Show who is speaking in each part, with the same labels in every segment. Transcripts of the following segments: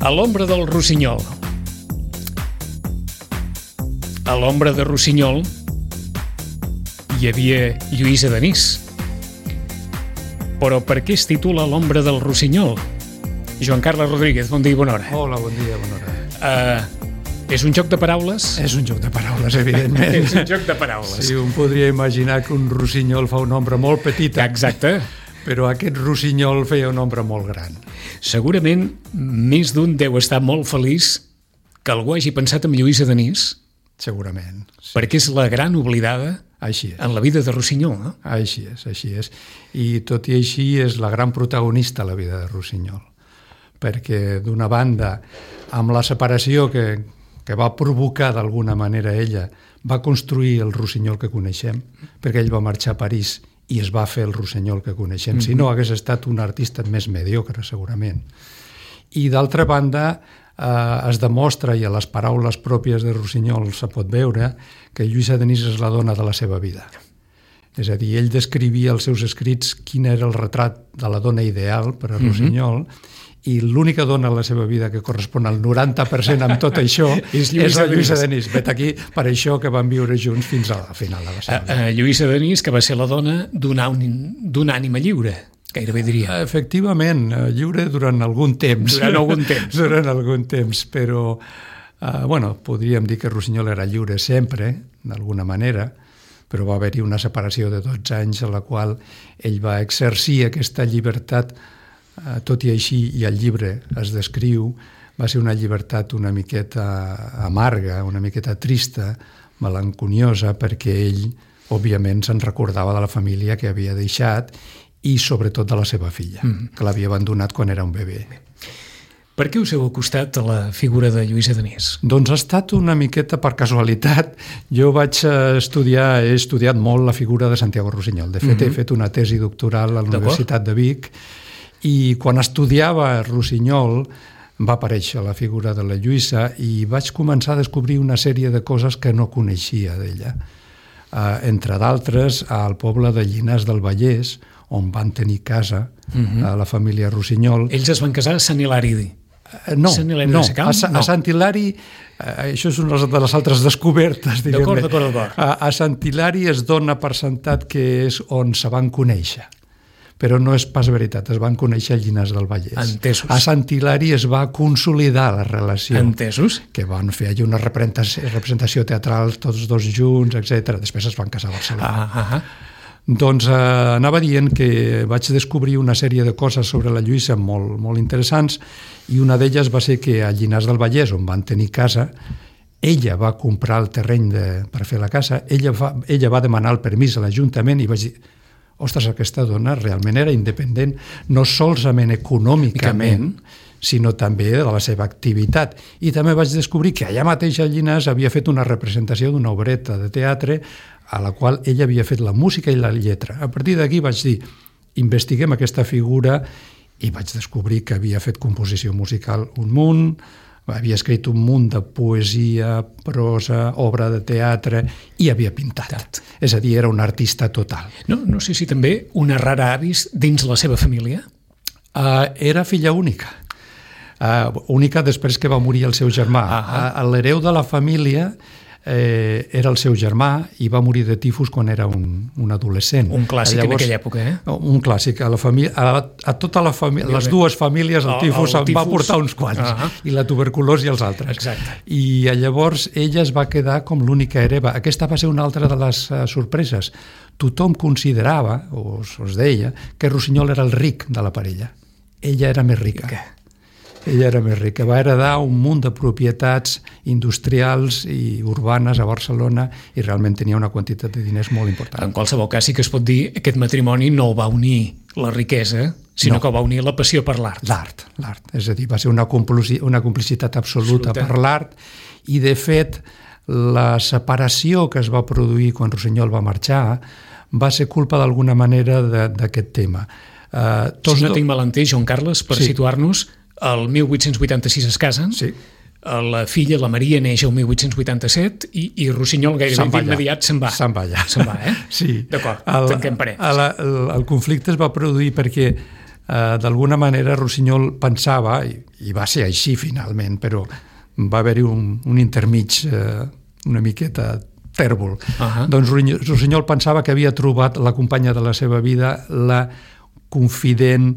Speaker 1: A l'ombra del Rossinyol. A l'ombra de Rossinyol hi havia Lluïsa Denís. Però per què es titula L'ombra del Rossinyol? Joan Carles Rodríguez, bon dia i bona hora.
Speaker 2: Hola, bon dia, bona hora.
Speaker 1: És un joc de paraules?
Speaker 2: És un joc de paraules, evidentment.
Speaker 1: És un joc de paraules.
Speaker 2: Sí, un podria imaginar que un rossinyol fa una ombra molt petita.
Speaker 1: Exacte.
Speaker 2: Però aquest rossinyol feia una ombra molt gran.
Speaker 1: Segurament més d'un deu estar molt feliç que algú hagi pensat en Lluïsa Denís.
Speaker 2: Segurament.
Speaker 1: Sí. Perquè és la gran oblidada en la vida de Rossinyol, no?
Speaker 2: Així és, així és. I tot i així és la gran protagonista a la vida de Rossinyol. Perquè d'una banda, amb la separació que va provocar d'alguna manera ella, va construir el Rossinyol que coneixem, perquè ell va marxar a París i es va fer el Rossinyol que coneixem. Si no, hagués estat un artista més mediocre, segurament. I d'altra banda, es demostra, i a les paraules pròpies de Rossinyol se pot veure, que Lluïsa Denís és la dona de la seva vida. És a dir, ell descrivia als seus escrits quin era el retrat de la dona ideal per a Rossinyol, i l'única dona a la seva vida que correspon al 90% amb tot això és la Lluïsa Denís. Vet aquí, per això que van viure junts fins a la final de la seva.
Speaker 1: Lluïsa Denís, que va ser la dona d'una ànima lliure, gairebé diria.
Speaker 2: Efectivament, lliure durant algun temps. Durant algun temps, però podríem dir que Rossinyol era lliure sempre, d'alguna manera, però va haver-hi una separació de 12 anys en la qual ell va exercir aquesta llibertat. Tot i així, i el llibre es descriu, va ser una llibertat una miqueta amarga, una miqueta trista, melanconiosa, perquè ell, òbviament, se'n recordava de la família que havia deixat i sobretot de la seva filla, que l'havia abandonat quan era un bebè.
Speaker 1: Per què us heu acostat a la figura de Lluïsa Denís?
Speaker 2: Doncs ha estat una miqueta per casualitat. Jo he estudiat molt la figura de Santiago Rossinyol. De fet, he fet una tesi doctoral a la Universitat de Vic, i quan estudiava Rossinyol va aparèixer la figura de la Lluïsa i vaig començar a descobrir una sèrie de coses que no coneixia d'ella. Entre d'altres, al poble de Llinars del Vallès, on van tenir casa a la família Rossinyol.
Speaker 1: Ells es van casar a Sant Hilari.
Speaker 2: No, a Sant Hilari, això és una de les altres descobertes, diguem-ne.
Speaker 1: D'acord.
Speaker 2: A Sant Hilari es dona per sentat que és on se van conèixer. Però no és pas veritat, es van conèixer a Llinars del Vallès.
Speaker 1: Entesos.
Speaker 2: A Sant Hilari es va consolidar la relació.
Speaker 1: Entesos.
Speaker 2: Que van fer allà una representació teatral tots dos junts, etc. Després es van casar a Barcelona. Doncs anava dient que vaig descobrir una sèrie de coses sobre la Lluïsa molt, molt interessants, i una d'elles va ser que a Llinars del Vallès, on van tenir casa, ella va comprar el terreny per fer la casa, ella va demanar el permís a l'Ajuntament i vaig dir: ostres, aquesta dona realment era independent, no solament econòmicament, sinó també de la seva activitat. I també vaig descobrir que allà mateix a Llinars havia fet una representació d'una obreta de teatre a la qual ella havia fet la música i la lletra. A partir d'aquí vaig dir, investiguem aquesta figura, i vaig descobrir que havia fet composició musical un munt, havia escrit un munt de poesia, prosa, obra de teatre, i havia pintat. És a dir, era un artista total.
Speaker 1: No sé si també una rara avis dins la seva família?
Speaker 2: Era filla única. Única després que va morir el seu germà. L'hereu de la família era el seu germà i va morir de tifus quan era un adolescent.
Speaker 1: Un clàssic en aquella època, eh?
Speaker 2: Un clàssic. A tota la família, les dues famílies, el tifus en va portar uns quants, i la tuberculosi els altres.
Speaker 1: Exacte.
Speaker 2: I llavors ella es va quedar com l'única hereva. Aquesta va ser una altra de les sorpreses. Tothom considerava, o es deia, que Rossinyol era el ric de la parella. Ella era més rica. Va heredar un munt de propietats industrials i urbanes a Barcelona i realment tenia una quantitat de diners molt important.
Speaker 1: En qualsevol cas sí que es pot dir que aquest matrimoni no va unir la riquesa, sinó que va unir la passió per l'art.
Speaker 2: L'art. És a dir, va ser una complicitat absoluta per l'art, i de fet la separació que es va produir quan Rossinyol va marxar va ser culpa d'alguna manera d'aquest tema.
Speaker 1: Si no tinc mal entès, Joan Carles, per situar-nos, el 1886 es casen, la filla, la Maria, neix el 1887 i Rossinyol gairebé d'immediat se'n va.
Speaker 2: Se'n va allà.
Speaker 1: Se'n va, eh?
Speaker 2: Sí.
Speaker 1: D'acord, tanquem parets.
Speaker 2: El conflicte es va produir perquè d'alguna manera Rossinyol pensava, i va ser així finalment, però va haver-hi un intermig una miqueta tèrbol. Doncs Rossinyol pensava que havia trobat la companya de la seva vida, la confident,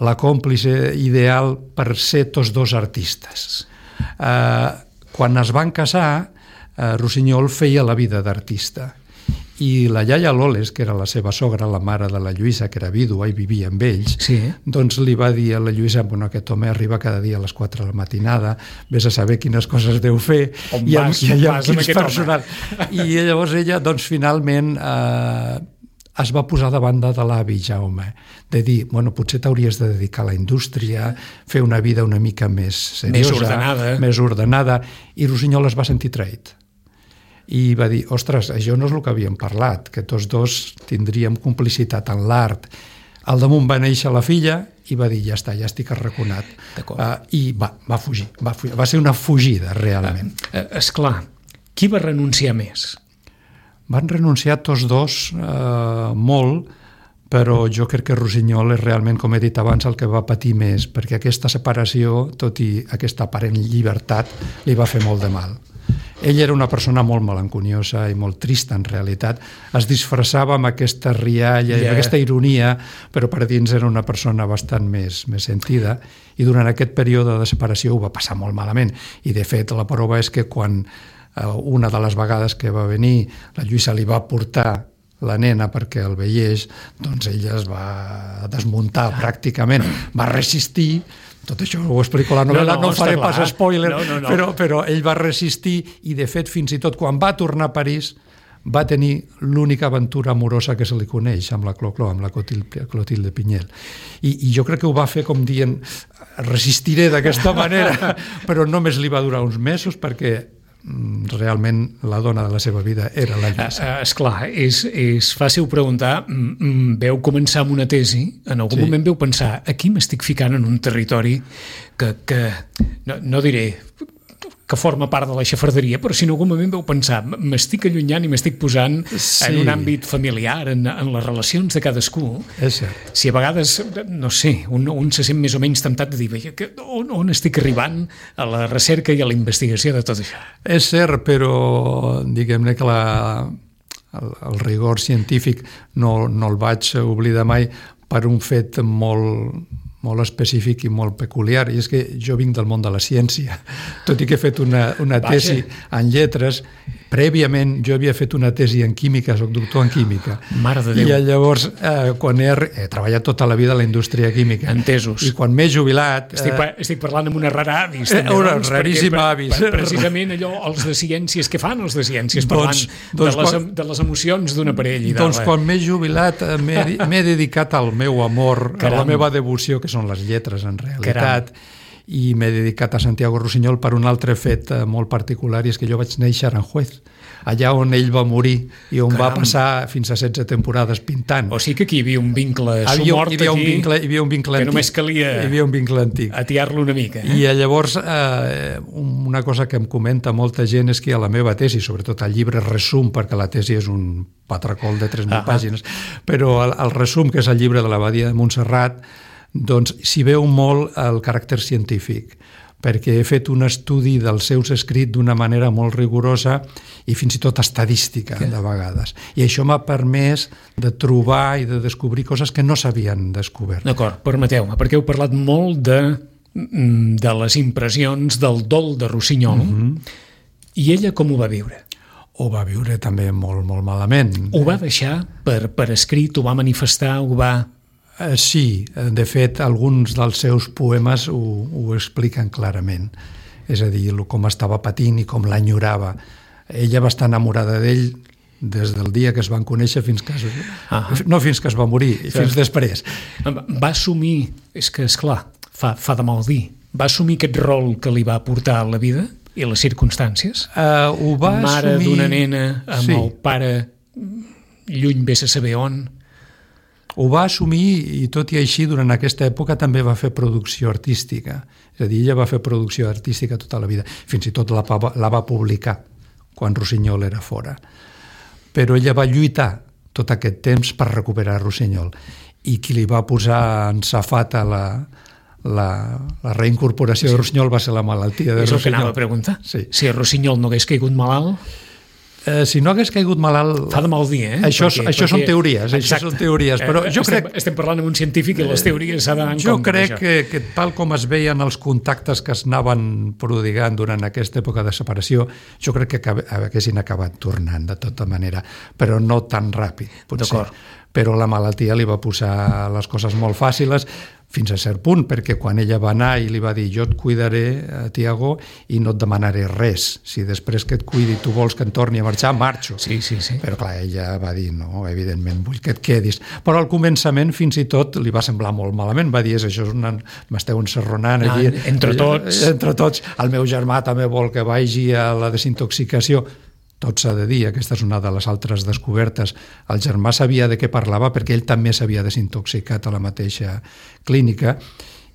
Speaker 2: la còmplice ideal per ser tots dos artistes. Quan es van casar, Rossinyol feia la vida d'artista. I la iaia Loles, que era la seva sogra, la mare de la Lluïsa, que era vídua i vivia amb ells, doncs li va dir a la Lluïsa, bueno, aquest home arriba cada dia a les 4 de la matinada, vés a saber quines coses deu fer i amb quins personal. I llavors ella, doncs, finalment es va posar davant de l'avi Jaume, de dir, bueno, potser t'hauries de dedicar a la indústria, fer una vida una mica més seriosa, més ordenada, i Rossinyol es va sentir traït. I va dir, ostres, això no és el que havíem parlat, que tots dos tindríem complicitat en l'art. Al damunt va néixer la filla i va dir, ja està, ja estic arraconat. I va fugir. Va ser una fugida, realment.
Speaker 1: Esclar, qui va renunciar més?
Speaker 2: Van renunciar tots dos molt, però jo crec que Rossinyol és realment, com he dit abans, el que va patir més, perquè aquesta separació, tot i aquesta aparent llibertat, li va fer molt de mal. Ell era una persona molt melanconiosa i molt trista, en realitat. Es disfressava amb aquesta rialla i amb aquesta ironia, però per dins era una persona bastant més sentida, i durant aquest període de separació ho va passar molt malament. I, de fet, la prova és que quan una de les vegades que va venir la Lluïsa li va portar la nena perquè el veiés, doncs ella es va desmuntar pràcticament, va resistir. Tot això ho explico a la novel·la, no faré pas spoiler, però ell va resistir i, de fet, fins i tot quan va tornar a París va tenir l'única aventura amorosa que se li coneix amb la Clo-Clo, amb la Clotilde Pinyel. I jo crec que ho va fer com dient resistiré d'aquesta manera, però només li va durar uns mesos perquè realment la dona de la seva vida era la Lluïsa.
Speaker 1: Esclar, és fàcil preguntar, veu començar amb una tesi, en algun moment veu pensar, aquí m'estic ficant en un territori que no diré que forma part de la xafarderia, però si en algun moment veu pensar, m'estic allunyant i m'estic posant en un àmbit familiar, en les relacions de cadascú.
Speaker 2: És cert.
Speaker 1: Si a vegades, no sé, un se sent més o menys temptat de dir, on estic arribant a la recerca i a la investigació de tot això?
Speaker 2: És cert, però diguem-ne que el rigor científic no el vaig oblidar mai per un fet molt específic i molt peculiar, i és que jo vinc del món de la ciència. Tot i que he fet una tesi en lletres, prèviament jo havia fet una tesi en química, soc doctor en química.
Speaker 1: Mare de Déu.
Speaker 2: I llavors, quan he treballat tota la vida a la indústria química.
Speaker 1: Entesos.
Speaker 2: I quan m'he jubilat...
Speaker 1: Estic parlant amb una rara avis.
Speaker 2: Una raríssima avis.
Speaker 1: Precisament allò, els de ciències, què fan els de ciències? Parlant de les emocions d'una parella.
Speaker 2: Doncs quan m'he jubilat m'he dedicat al meu amor, a la meva devoció, que són les lletres en realitat. I m'he dedicat a Santiago Rossinyol per un altre fet molt particular, i és que jo vaig néixer a Aranjuez, allà on ell va morir i on va passar fins a 16 temporades pintant.
Speaker 1: O sigui que aquí hi havia un vincle somort,
Speaker 2: hi havia un vincle
Speaker 1: que només calia atiar-lo una mica.
Speaker 2: I llavors una cosa que em comenta molta gent és que a la meva tesi, sobretot al llibre resum, perquè la tesi és un patracol de 3.000 pàgines, però el resum, que és el llibre de l'Abadia de Montserrat, doncs s'hi veu molt el caràcter científic, perquè he fet un estudi dels seus escrits d'una manera molt rigorosa i fins i tot estadística, de vegades. I això m'ha permès de trobar i de descobrir coses que no s'havien descobert.
Speaker 1: D'acord, permeteu-me, perquè heu parlat molt de les impressions del dol de Rossinyol, i ella com ho va viure?
Speaker 2: Ho va viure també molt, molt malament.
Speaker 1: Ho va deixar per escrit, ho va manifestar, ho va...
Speaker 2: Sí, de fet, alguns dels seus poemes ho expliquen clarament. És a dir, com estava patint i com l'enyorava. Ella va estar enamorada d'ell des del dia que es van conèixer fins que no fins que es va morir, fins després.
Speaker 1: Va assumir, és que esclar, fa de mal dir, va assumir aquest rol que li va portar a la vida i les circumstàncies?
Speaker 2: Ho va assumir...
Speaker 1: Mare d'una nena amb el pare lluny vés a saber on...
Speaker 2: Ho va assumir, i tot i així durant aquesta època també va fer producció artística. És a dir, ella va fer producció artística tota la vida. Fins i tot la va publicar quan Rossinyol era fora. Però ella va lluitar tot aquest temps per recuperar Rossinyol. i qui li va posar en safata la reincorporació de Rossinyol va ser la malaltia de Rossinyol.
Speaker 1: És el que anava a preguntar.
Speaker 2: Sí.
Speaker 1: Si Rossinyol no hagués caigut malalt...
Speaker 2: Si no hagués caigut malalt...
Speaker 1: Fa de mal dir,
Speaker 2: Això són teories, però jo crec...
Speaker 1: Estem parlant amb un científic i les teories s'ha d'anar en compte.
Speaker 2: Jo crec que tal com es veien els contactes que es anaven prodigant durant aquesta època de separació, jo crec que haguessin acabat tornant de tota manera, però no tan ràpid, potser.
Speaker 1: D'acord.
Speaker 2: Però la malaltia li va posar les coses molt fàcils fins a cert punt, perquè quan ella va anar i li va dir jo et cuidaré, Tiago, i no et demanaré res. Si després que et cuidi tu vols que em torni a marxar, marxo.
Speaker 1: Sí.
Speaker 2: Però clar, ella va dir no, evidentment vull que et quedis. Però al començament fins i tot li va semblar molt malament, va dir això és m'esteu encerronant aquí.
Speaker 1: Entre tots.
Speaker 2: Entre tots. El meu germà també vol que vagi a la desintoxicació. Tot s'ha de dir, aquesta és una de les altres descobertes. El germà sabia de què parlava perquè ell també s'havia desintoxicat a la mateixa clínica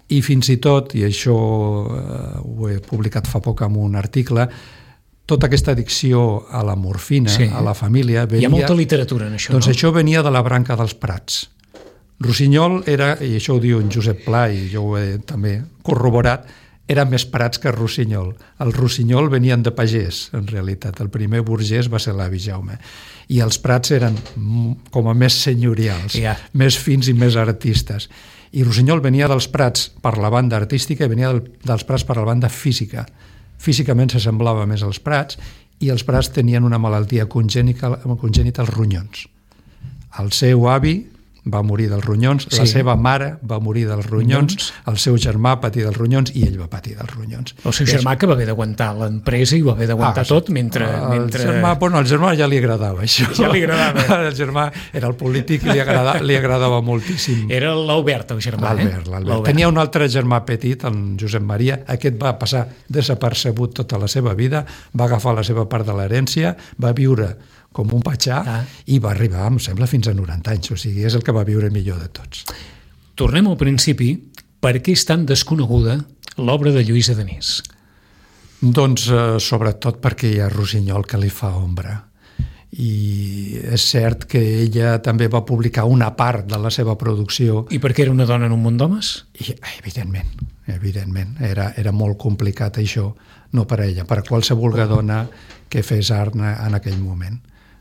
Speaker 2: i fins i tot, i això ho he publicat fa poc en un article, tota aquesta addicció a la morfina, a la família...
Speaker 1: Hi ha molta literatura en això,
Speaker 2: doncs no? Això venia de la branca dels Prats. Rossinyol era, i això ho diu en Josep Pla, i jo ho he també corroborat, eren més Prats que Rossinyol. Els Rossinyol venien de pagès, en realitat. El primer burgès va ser l'avi Jaume. I els Prats eren com a més senyorials, més fins i més artistes. I Rossinyol venia dels Prats per la banda artística i venia dels Prats per la banda física. Físicament s'assemblava més als Prats i els Prats tenien una malaltia congènita als ronyons. El seu avi va morir dels ronyons, la seva mare va morir dels ronyons, el seu germà patir dels ronyons i ell va patir dels ronyons.
Speaker 1: El seu germà que va haver d'aguantar l'empresa i va haver d'aguantar tot mentre...
Speaker 2: El germà ja li agradava això.
Speaker 1: Ja li agradava.
Speaker 2: El germà era el polític i li agradava moltíssim.
Speaker 1: Era l'Albert, el germà.
Speaker 2: L'Albert. Tenia un altre germà petit, en Josep Maria. Aquest va passar desapercebut tota la seva vida, va agafar la seva part de l'herència, va viure com un patxà i va arribar, em sembla, fins a 90 anys. O sigui, és el que va viure millor de tots.
Speaker 1: Tornem al principi. Per què és tan desconeguda l'obra de Lluïsa Denís?
Speaker 2: Doncs sobretot perquè hi ha Rossinyol que li fa ombra. I és cert que ella també va publicar una part de la seva producció.
Speaker 1: I perquè era una dona en un món d'homes?
Speaker 2: Evidentment. Era molt complicat això, no per a ella, per a qualsevol dona que fes art en aquell moment.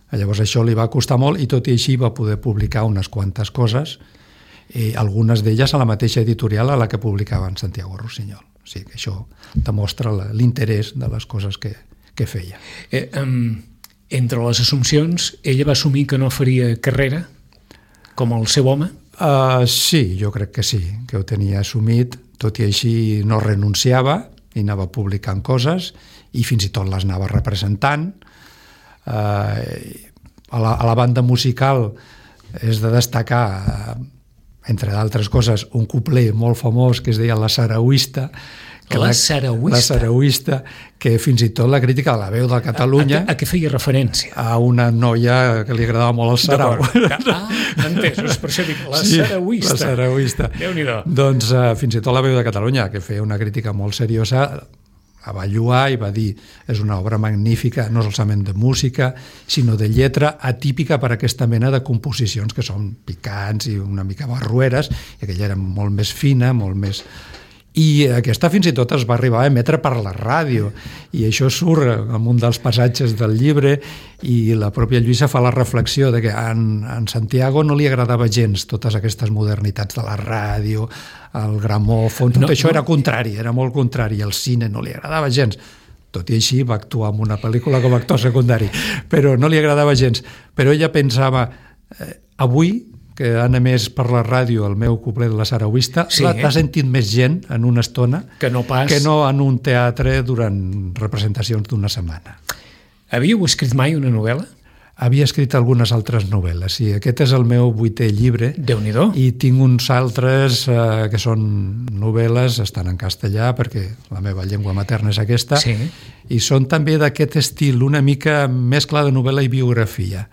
Speaker 2: Llavors això li va costar molt i tot i així va poder publicar unes quantes coses, algunes d'elles a la mateixa editorial a la que publicava en Santiago Rossinyol. O sigui que això demostra l'interès de les coses que feia.
Speaker 1: Entre les assumpcions, ella va assumir que no faria carrera com el seu home?
Speaker 2: Sí, jo crec que sí, que ho tenia assumit, tot i així no renunciava i anava publicant coses i fins i tot les anava representant. A la banda musical és de destacar, entre d'altres coses, un couplet molt famós que es deia La Sarauista.
Speaker 1: La Sarauista,
Speaker 2: que fins i tot la crítica de La Veu de Catalunya...
Speaker 1: A què feia referència?
Speaker 2: A una noia que li agradava molt el sarau.
Speaker 1: Entès, per això dic, La Sarauista.
Speaker 2: La Sarauista.
Speaker 1: Déu-n'hi-do.
Speaker 2: Doncs fins i tot La Veu de Catalunya, que feia una crítica molt seriosa, la va lloar i va dir és una obra magnífica, no solament de música, sinó de lletra atípica per a aquesta mena de composicions que són picants i una mica barrueres, i aquella era molt més fina, molt més... I aquesta fins i tot es va arribar a emetre per la ràdio, i això surt en un dels passatges del llibre, i la pròpia Lluïsa fa la reflexió de que en Santiago no li agradava gens totes aquestes modernitats de la ràdio, el gramòfon, tot això era contrari, era molt contrari, el cine no li agradava gens. Tot i així va actuar en una pel·lícula com a actor secundari, però no li agradava gens. Però ella pensava, avui que han emès per la ràdio el meu couplet de La Sarauista, l'ha sentit més gent en una estona
Speaker 1: que no
Speaker 2: en un teatre durant representacions d'una setmana.
Speaker 1: Havíeu escrit mai una novel·la?
Speaker 2: Havia escrit algunes altres novel·les, sí. Aquest és el meu 8è llibre.
Speaker 1: Déu-n'hi-do.
Speaker 2: I tinc uns altres que són novel·les, estan en castellà, perquè la meva llengua materna és aquesta, i són també d'aquest estil, una mica mescla de novel·la i biografia.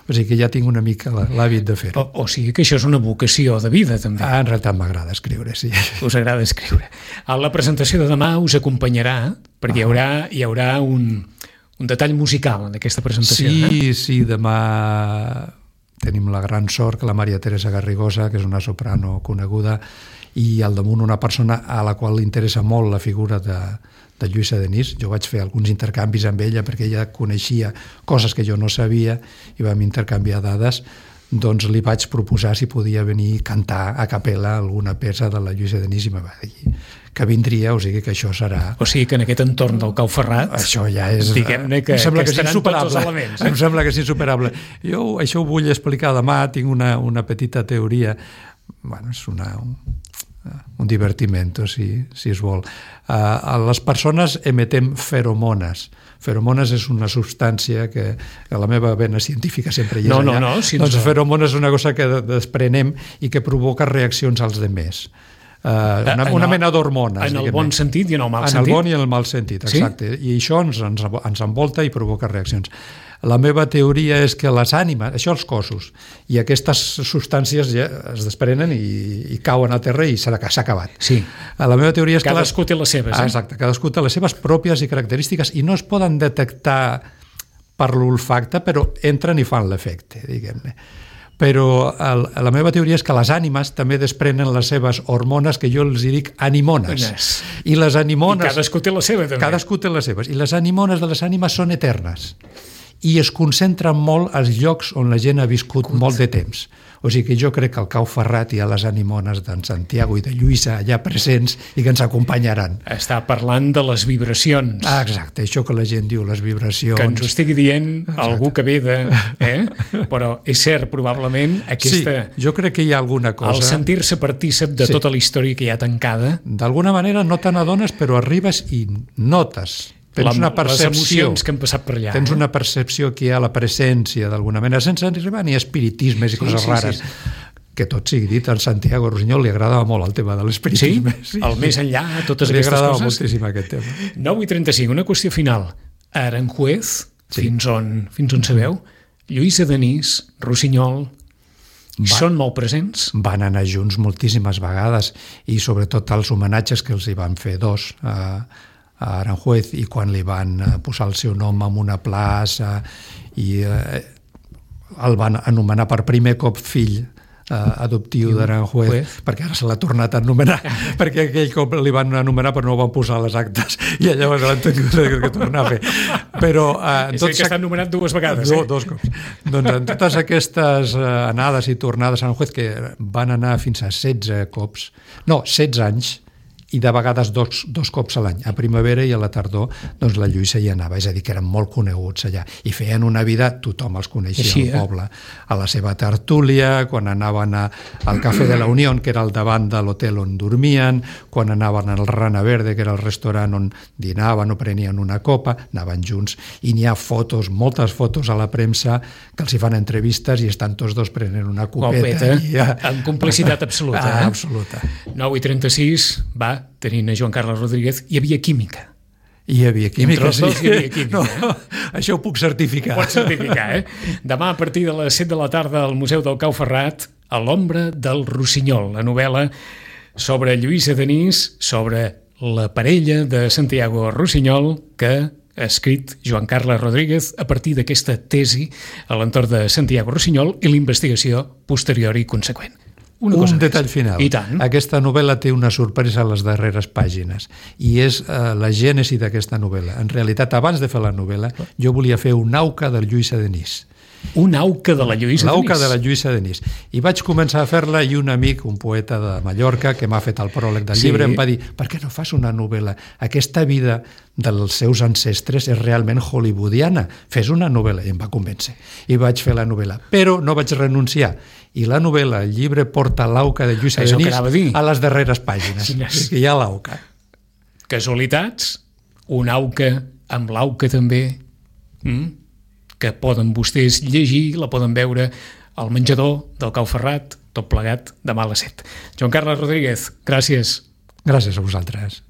Speaker 2: O sigui que ja tinc una mica l'hàbit de fer-ho.
Speaker 1: O sigui que això és una vocació de vida, també.
Speaker 2: En realitat m'agrada escriure, sí.
Speaker 1: Us agrada escriure. A la presentació de demà us acompanyarà, perquè hi haurà un detall musical en aquesta presentació.
Speaker 2: Sí, demà tenim la gran sort que la Maria Teresa Garrigosa, que és una soprano coneguda, i al damunt una persona a la qual li interessa molt la figura de Lluïsa Denis. Jo vaig fer alguns intercanvis amb ella perquè ella coneixia coses que jo no sabia i vam intercanviar dades. Doncs li vaig proposar si podia venir a cantar a capella alguna peça de la Lluïsa Denis i me va dir que vindria, o sigui que això serà...
Speaker 1: O sigui que en aquest entorn del Cau Ferrat...
Speaker 2: Això ja és...
Speaker 1: Diguem-ne que estaran tots els elements.
Speaker 2: Em sembla que és insuperable. Jo això ho vull explicar demà, tinc una petita teoria. Bueno, és un divertimento, si es vol. Les persones emetem feromones. Feromones és una substància que a la meva vena científica sempre hi és allà. Doncs feromones és una cosa que desprenem i que provoca reaccions als demés. Una mena d'hormones.
Speaker 1: En el bon sentit i en el mal sentit.
Speaker 2: En el bon i en el mal sentit, exacte. I això ens envolta i provoca reaccions. La meva teoria és que les ànimes, això els cossos, i aquestes substàncies ja es desprenen i cauen a terra i s'ha acabat.
Speaker 1: Sí.
Speaker 2: La meva teoria és que...
Speaker 1: Cadascú té les seves.
Speaker 2: Exacte, cadascú té les seves pròpies i característiques i no es poden detectar per l'olfacte, però entren i fan l'efecte, diguem-ne. Però la meva teoria és que les ànimes també desprenen les seves hormones, que jo els dic animones. I les animones...
Speaker 1: I cadascú té la seva, també.
Speaker 2: Cadascú té les seves. I les animones de les ànimes són eternes. I es concentren molt als llocs on la gent ha viscut molt de temps. O sigui que jo crec que al Cau Ferrat hi ha les animones d'en Santiago i de Lluïsa allà presents i que ens acompanyaran.
Speaker 1: Està parlant de les vibracions.
Speaker 2: Exacte, això que la gent diu, les vibracions.
Speaker 1: Que ens ho estigui dient algú que ve de... Però és cert, probablement, aquesta...
Speaker 2: Sí, jo crec que hi ha alguna cosa...
Speaker 1: El sentir-se partícip de tota la història que hi ha tancada...
Speaker 2: D'alguna manera no te n'adones, però arribes i notes... Tens una percepció,
Speaker 1: les emocions que han passat per allà.
Speaker 2: Tens una percepció que hi ha la presència d'alguna manera, sense arribar ni espiritismes i coses rares. Que tot sigui dit, a Santiago Rusiñol li agradava molt el tema de l'espiritisme.
Speaker 1: Sí? El més enllà, totes aquestes coses.
Speaker 2: Li agradava moltíssim aquest tema.
Speaker 1: 9:35, una qüestió final. A Aranjuez, fins on sabeu, Lluïsa Denis, Rusiñol, són molt presents?
Speaker 2: Van anar junts moltíssimes vegades i sobretot els homenatges que els hi van fer dos a Aranjuez, i quan li van posar el seu nom en una plaça i el van anomenar per primer cop fill adoptiu d'Aranjuez, perquè ara se l'ha tornat a anomenar, perquè aquell cop li van anomenar però no ho van posar a les actes i llavors l'han tingut que tornar a fer. Però
Speaker 1: és que està anomenat dues vegades.
Speaker 2: Dos cops. Doncs en totes aquestes anades i tornades a Aranjuez, que van anar fins a 16 anys, i de vegades dos cops a l'any, a primavera i a la tardor, doncs la Lluïsa hi anava, és a dir, que eren molt coneguts allà, i feien una vida, tothom els coneixia al poble, a la seva tertúlia, quan anaven al Cafè de la Unió, que era al davant de l'hotel on dormien, quan anaven al Rana Verde, que era el restaurant on dinaven o prenien una copa, anaven junts, i n'hi ha fotos, moltes fotos a la premsa, que els hi fan entrevistes i estan tots dos prenent una copeta.
Speaker 1: Amb complicitat absoluta.
Speaker 2: Absoluta.
Speaker 1: 9:36, va, tenint a Joan Carles Rodríguez, hi havia química.
Speaker 2: Hi havia química,
Speaker 1: Entre els dos hi havia química.
Speaker 2: No, això ho puc certificar.
Speaker 1: Ho pots certificar, Demà, a partir de les 7 de la tarda, al Museu del Cau Ferrat, A l'ombra del Rusiñol, la novel·la sobre Lluïsa Denis, sobre la parella de Santiago Rusiñol, que ha escrit Joan Carles Rodríguez a partir d'aquesta tesi a l'entorn de Santiago Rusiñol i l'investigació posterior i conseqüent.
Speaker 2: Un detall final.
Speaker 1: I tant.
Speaker 2: Aquesta novel·la té una sorpresa a les darreres pàgines i és la gènesi d'aquesta novel·la. En realitat, abans de fer la novel·la, jo volia fer un auca de Lluïsa Denis.
Speaker 1: Un auca de la Lluïsa Denis?
Speaker 2: L'auca de la Lluïsa Denis. I vaig començar a fer-la i un amic, un poeta de Mallorca, que m'ha fet el pròleg del llibre, em va dir, per què no fas una novel·la? Aquesta vida dels seus ancestres és realment hollywoodiana. Fes una novel·la. I em va convèncer. I vaig fer la novel·la. Però no vaig renunciar. I la novel·la, el llibre, porta l'auca de Lluïsa Denis a les darreres pàgines. Que hi ha l'auca.
Speaker 1: Casualitats? Un auca amb l'auca també? Que poden vostès llegir, la poden veure al menjador del Cau Ferrat, tot plegat, demà a les 7. Joan Carles Rodríguez, gràcies.
Speaker 2: Gràcies a vosaltres.